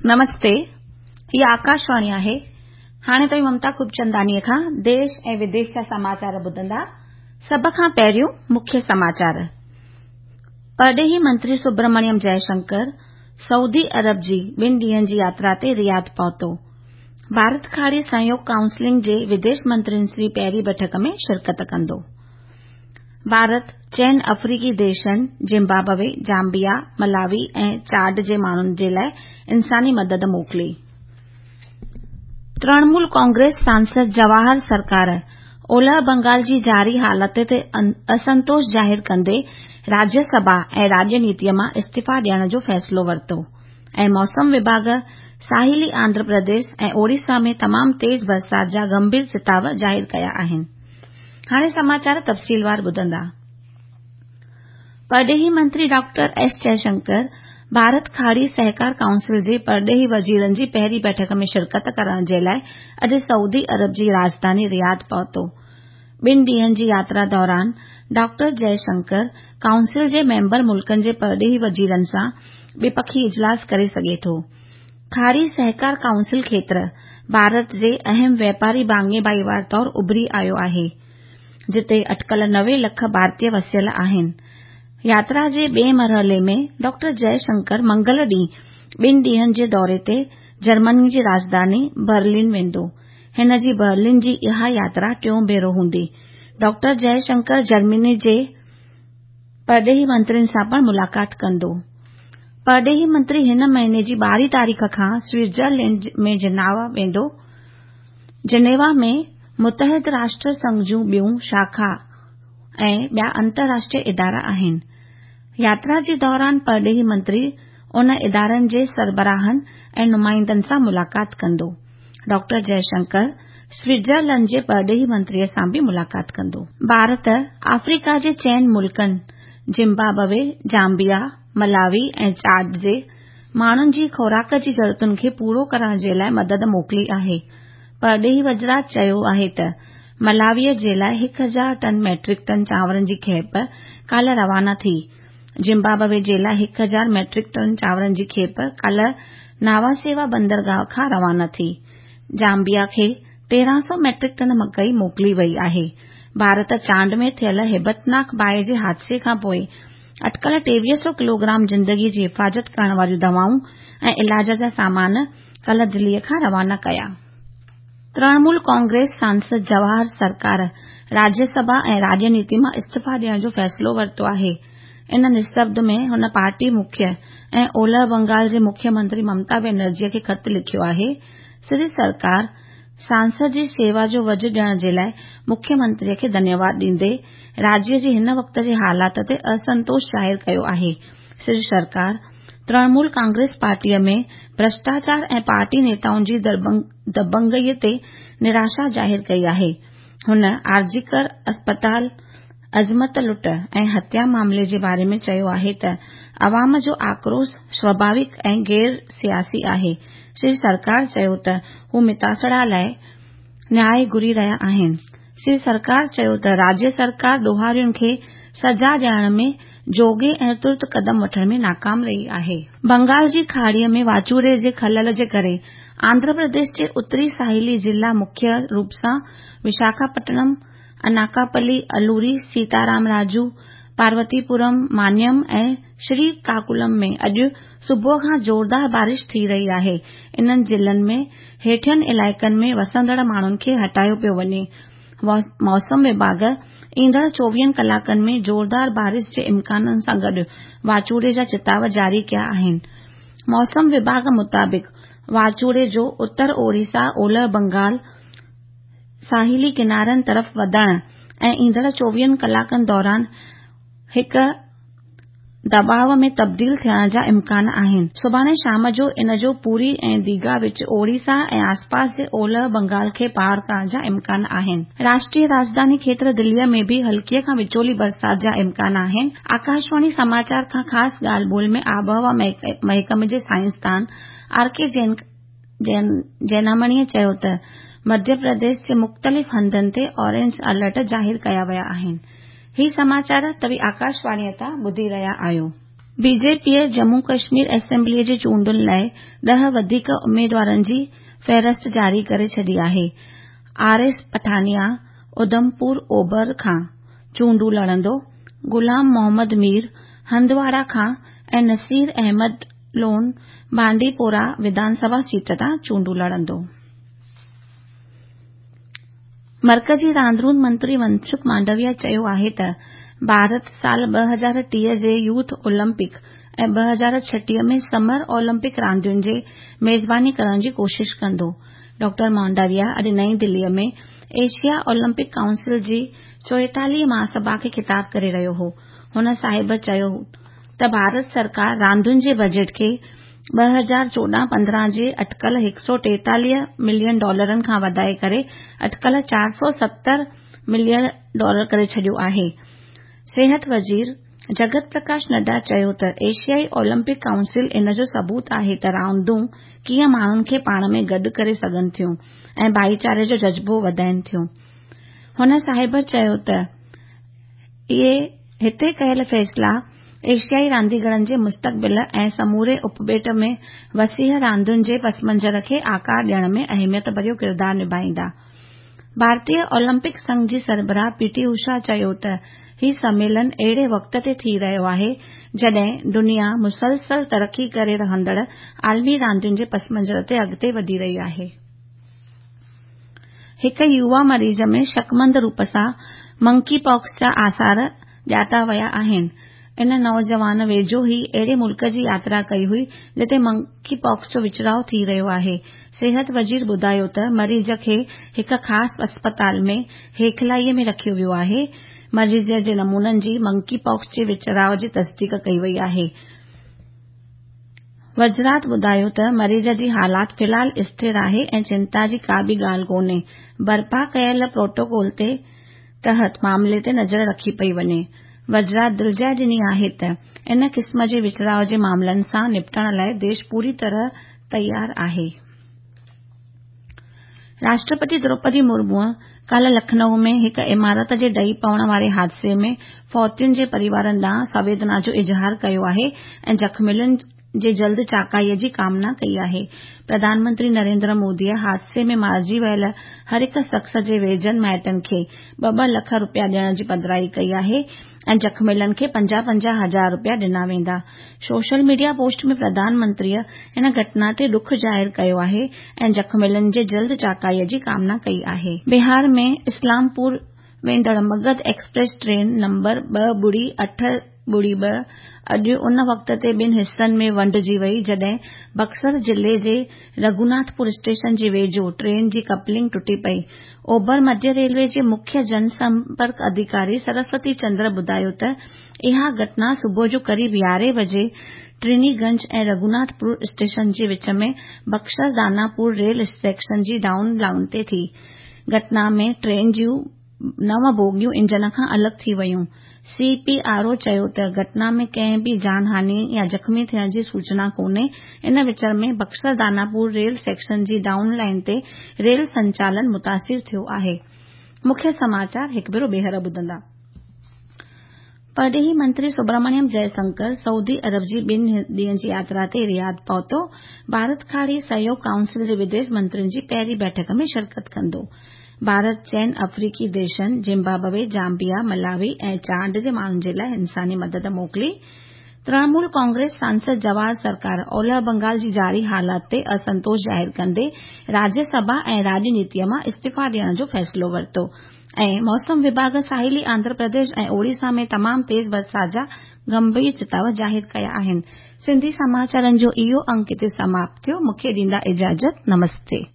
نمستي، هي آڪاشواڻي آهي. هاڻي توهين ممتا خوبچنداڻيء کان ديش ۽ وديش جا سماچار ٻڌندا. سڀ کان پهريون مکيه سماچار. پرڏيهي منتري سبرمڻيم جئشنڪر سعودي عرب جي ٻن ڏينهن جي ياترا تي رياض پهتو. ڀارت کاڙي سهيوگ ڪائونسلنگ جي وديش منترين جي پهرين بيٺڪ ۾ شرڪت ڪندو. ڀارت چئن آفريڪي ديشن زمبابوي، زامبيا، ملاوي ۽ چاڊ جي ماڻهن جي لاء انساني مدد موڪلي. ترڻمول ڪانگريس سانسد جواهر سرڪار اولهه بنگال جي جاري حالت تي اسنتوش ظاهر ڪندي راجيه سڀا ۽ راڄنيتيء مان استعيفا ڏيڻ جو فيصلو ورتو ۽ موسم وڀاڳ ساحلي آنڌرا پرديش ۽ اوڙيسا ۾ تمام تيز برسات جا گنڀير چتاء ظاهر ڪيا آهن. هاڻي سماچار تفصيلوار ٻڌندا. پرڏيهي منتري ڊاڪٽر ايس جئشنڪر ڀارت کاڙي سهڪار ڪائونسل جي پرڏيهي وزيرن جي پهرين بيٺڪ ۾ شرڪت ڪرڻ جي لاء اڄ سعودي عرب جي راڄڌاني رياض پهتو. ٻن ڏينهن جي ياترا دوران ڊاڪٽر جئشنڪر ڪائونسل جي ميمبر ملڪن جي پرڏيهي وزيرن سان ٻپکي اجلاس ڪري سگهي ٿو. کاڙي سهڪار ڪائونسل کيتر ڀارت جي اهم واپاري ڀاڱي ڀائيوار طور اڀري آيو آهي، جتي اٽڪل 90 لک ڀارتي وسيل آهن. ياترا جي ٻئي مرحلي ۾ ڊاڪٽر جئه شنڪر منگل ڏينهن ٻن ڏينهن جي دوري تي جرمني جي راڄڌاني برلن ويندو. هن جي برلن جي اها ياترا ٽيون ڀيرو هوندي. ڊاڪٽر جئه شنڪر جرمني جي پرڏيهي منترين سان پڻ ملاقات ڪندو. پرڏيهي منتري هن مهيني جي 12 تاريخ کان سوئٽزرلينڊ ۾ جنيوا ويندو. جنيوا ۾ متحده راشٽر سنگهه جون ٻيون شاخا ۽ ٻيا انترراشٽريه ادارا آهن. ياترا جي دوران پرڏيهي منتري ان ادارن جي سربراهن ۽ نمائندن سان ملاقات ڪندو. ڊاڪٽر جئشنڪر سوئٽزرلينڊ جي پرڏيهي منتري سان به ملاقات ڪندو. ڀارت آفريڪا جي چئن ملڪن زمبابوي، زامبيا، ملاوي ۽ چاڊ جي ماڻهن جي خوراڪ جي ضرورتن کي پورو ڪرڻ جي لاء مدد موڪلي آهي. پرڏيهي وزارت چيو آهي ته ملاوي جي لاء 1000 ٽن ميٽرڪ ٽن چانورن جي کيپ ڪالهه روانا ٿي. زمبابوي جي لاء 1000 ميٽرڪ ٽن چانورن جي کيپ ڪالهه ناواسيوا بندرگاهه کان روانا ٿي. زامبيا کي 1300 ميٽرڪ ٽن مڪئي موڪلي وئي آهي. ڀارت چاڊ ۾ ٿيل هيبتناڪ باهه جي حادثي کانپوء اٽڪل 2300 ڪلوگرام زندگي جي حفاظت ڪرڻ واريون دوائون ۽ علاج جا سامان ڪالهه دلي کان روانا ڪيا. ترڻمول ڪانگريس سانسد جواهر سرڪار راجيه سڀا ۽ راڄنيتي مان استعيفا ڏيڻ جو فيصلو ورتو آهي. ان نسبت ۾ هن پارٽي مکي ۽ اولهه بنگال جي مکيه منتري ممتا بينرجي کي خط لکيو آهي. سري سرڪار سانسد جي شيوا جو وجهه ڏيڻ جي لاء مکيه منتري کي ڌنيواد ڏيندي راجيه جي هن وقت جي حالات تي اسنتوش ظاهر ڪيو آهي. سري سرڪار ترڻمول ڪانگريس پارٽيء ۾ ڀرشٽاچار ۽ پارٽي نيتائن جي دبنگئي تي نراشا ظاهر ڪئي آهي. هن آرجيڪر اسپتال عصمت لٽ ۽ هتيا معاملي جي باري ۾ چيو آهي ته عوام جو آڪروش سواڀاوڪ ۽ غير سياسي آهي. شري سرڪار چيو ته هو متاثرن لاء نياء گهري رهيا آهن. شري سرڪار چيو ته راجيه سرڪار ڏوهارين کي سزا ڏيارڻ ۾ جوڳي ۽ ترت قدم وٺڻ ۾ ناڪام رهي آهي. بنگال جي کاڙيء ۾ واچوڙي جي خلل جي ڪري آنڌرا پرديش جي اتري ساحلي ضلعا مکيه روپ سان وشاکاپٽنم، اناڪاپلي، الوري، سيتارام راجو، پاروتي پورم، مانيم ۽ شري ڪاڪولم ۾ اڄ صبح کان زوردار بارش ٿي رهي آهي. انهن ضلعن ۾ هيٺين علائقن ۾ وسندڙ ماڻهن کي هٽايو پيو وڃي. موسم وڀاڳ ايندڙ 24 ڪلاڪن ۾ زوردار بارش جي امڪانن سان گڏ واچوڙي جا چتاء جاري ڪيا آهن. موسم وڀاڳ مطابق واچوڙي جو اتر اوڙيسا، اولهه بنگال، ساحلي ڪنارن طرف وڌڻ ۽ ايندڙ 24 ڪلاڪن دوران هڪ دٻاء ۾ تبديل ٿيڻ جا امڪان آهن. سڀاڻي شام جو ان جو پوري ۽ ديگها وچ اوڙيسا ۽ آسپاس جي اولهه بنگال کي پار ڪرڻ جا امڪان آهن. راشٽريه راڄڌاني کيتر دليء ۾ به هلڪي کان وچولي برسات جا امڪان آهن. آڪاشواڻي سماچار کان خاص ڳالهه ٻولهه ۾ آبهوا محڪمي جي سائنسدان آر ڪي جينامڻيء چيو ته مڌيه پرديش جي مختلف هنڌن تي اورينج الرٽ ظاهر ڪيا ويا آهن. هي سماچار توهين آڪاشواڻيء تان ٻڌي رهيا آهيو. بي جي پيء ڄمون ڪشمير اسيمبليء جي چونڊن لاء 10 وڌيڪ اميدوارن جي فهرست جاري ڪري ڇڏي آهي. آر ايس پٺانيا اڌمپور اوڀر کان چونڊون لڙندو، غلام محمد مير هندواڙا کان ۽ نصير احمد لون بانڊي پورا وڌان سڀا سيٽ تان چونڊون لڙندو. مرڪزي راندرون منتري منسک مانڊويا چيو آهي ته ڀارت سال 2030 جي يوٿ اولمپڪ ۽ 2036 ۾ سمر اولمپڪ راندين جي ميزباني ڪرڻ جي ڪوشش ڪندو. ڊاڪٽر مانڊويا اڄ نئين دليء ۾ ايشيا اولمپڪ ڪائونسل جي 44 مهاسڀا کي خطاب ڪري رهيو هو. هن صاحب چيو ته ڀارت سرڪار راندين جي بجيٽ کي 2014-15 جي اٽڪل 143 ملين ڊالرن کان وڌائي ڪري اٽڪل 470 ملين ڊالر ڪري ڇڏيو آهي. صحت وزير جگت پرڪاش نڊا چيو ته ايشيائي اولمپڪ ڪائونسل ان جو ثبوت آهي ته راندون ڪيئن ماڻهن کي پاڻ ۾ گڏ ڪري سگهن ٿيون ۽ ڀائيچاري جو جذبو وڌائين ٿيون. هن صاحب چيو ته اهي هتي ڪيل فيصلا ايشيائي رانديگرن جي مستقبل ۽ سموري اپٻيٽ ۾ وسيع راندين جي پسمنظر کي آڪار ڏيڻ ۾ اهميت ڀريو ڪردار نڀائيندا. ڀارتيه اولمپڪ سنگهه جي سربراهه پي ٽي اوشا چيو ته هي سميلن اهڙي وقت تي ٿي رهيو آهي جڏهن دنيا مسلسل ترقي ڪري رهندڙ عالمي راندين جي پسمنظر تي اڳتي وڌي رهي آهي. هڪ يووا مريض ۾ شڪمند روپ سان منڪي پاڪس جا آثار ڄاتا ويا آهن. ان نوجوان ويجهو ئي اهڙي ملڪ جي ياترا ڪئي هئي جتي منڪي پاڪس جو وچڙاءُ ٿي رهيو آهي. صحت وزير ٻڌايو ته مريض کي هڪ خاص اسپتال ۾ هيکلائي ۾ رکيو ويو آهي. مريض جي نمونن جي منڪي پاڪس جي وچڙاءُ جي تصديق ڪئي وئي آهي. وزارت ٻڌايو ته مريض جي حالت في الحال اسٿر آهي ۽ چنتا جي ڪا به ڳالهه ڪونهي، برپا ڪيل پروٽوڪول تي تحت معاملي تي نظر رکي پئي وڃي. وزارت دلجاءِ ڏني آهي ته ان قسم جي وچڙاءُ جي معاملن سان نپٽڻ لاءِ ديش پوري طرح تيار آهي. راشٽرپتي دروپدي مرموءَ ڪالهه لکنؤ ۾ هڪ عمارت جي ڊهي پوڻ واري حادثي ۾ فوتين جي پريوارن ڏانهن سنويدنا جو اظهار ڪيو آهي ۽ زخمين جي جلد چاقائيءَ جي ڪامنا ڪئي آهي. پرڌان منتري نريندر موديءَ حادثي ۾ مارجي ويل هر هڪ شخص جي ويجهن مائٽن کي 2-2 لک رپيا ڏيڻ جي پڌرائي ڪئي آهي ۽ زخميلن کي 50-50 هزار رپيا ڏنا ويندا. سوشل ميڊيا پوسٽ ۾ پرڌان منتريء ان گهٽنا تي ڏک ظاهر ڪيو آهي ۽ زخميلن جي جلد چاقائيءَ جي ڪامنا ڪئي آهي. بهار ۾ اسلام پور ويندڙ مگڌ ايڪسپريس ٽرين نمبر 2.8.2 اڄ ان وقت تي ٻن حصن ۾ ونڊجي وئي جڏهن بڪسر ضلعي جي رگهوناٿ پور اسٽيشن جي ويجهو ٽرين جي ڪپلنگ ٽٽي پئي. اوڀر مڌيه ريلوي جي مکيه جن سمپرڪ اڌڪاري سرسوتي چندر ٻڌايو ته اها گهٽنا صبح جو قريب 11 بجي ٽرني گنج ۽ رگهوناٿ پور اسٽيشن جي وچ ۾ بڪسر داناپور ريل سيڪشن جي ڊائون لائن تي ٿي. گهٽنا ۾ ٽرين جون 9 بوگيون انجن کان الڳ ٿي ويون. سي پي آر او چيو ته گهٽنا ۾ ڪنهن به جان هاني يا زخمي ٿيڻ جي سوچنا ڪونهي. ان وچ ۾ بڪسر داناپور ريل سيڪشن جي ڊائون لائن تي ريل سنچالن متاثر ٿيو آهي. مکيه سماچار هڪ ڀيرو ٻيهر ٻڌندا. پرڏيهي منتري سبرامڻيم جئشنڪر سعودي عرب جي 2 ڏينهن جي ياترا تي رياض پهتو. ڀارت کاڙي سهيوگ ڪائونسل جي وديش منترين جي پهرين بيٺڪ ۾ شرڪت ڪندو. ڀارت چئن آفريڪي ديشن زمبابوي، زامبيا، ملاوي ۽ چاڊ جي ماڻهن جي لاءِ انساني مدد موڪلي. ترڻمول ڪانگريس سانسد جواهر سرڪار اولهه بنگال جي جاري حالات تي اسنتوش ظاهر ڪندي راجيه سڀا ۽ راڄنيتيءَ مان استعيفا ڏيڻ جو فيصلو ورتو. ۽ موسم وڀاڳ ساحلي آنڌرا پرديش ۽ اوڙيسا ۾ تمام تيز برسات جا گنڀير چتاءُ ظاهر ڪيا آهن. سنڌي سماچارن جو اهو انڪ هتي سماپت ٿيو. مون کي ڏيندا اجازت. نمستي.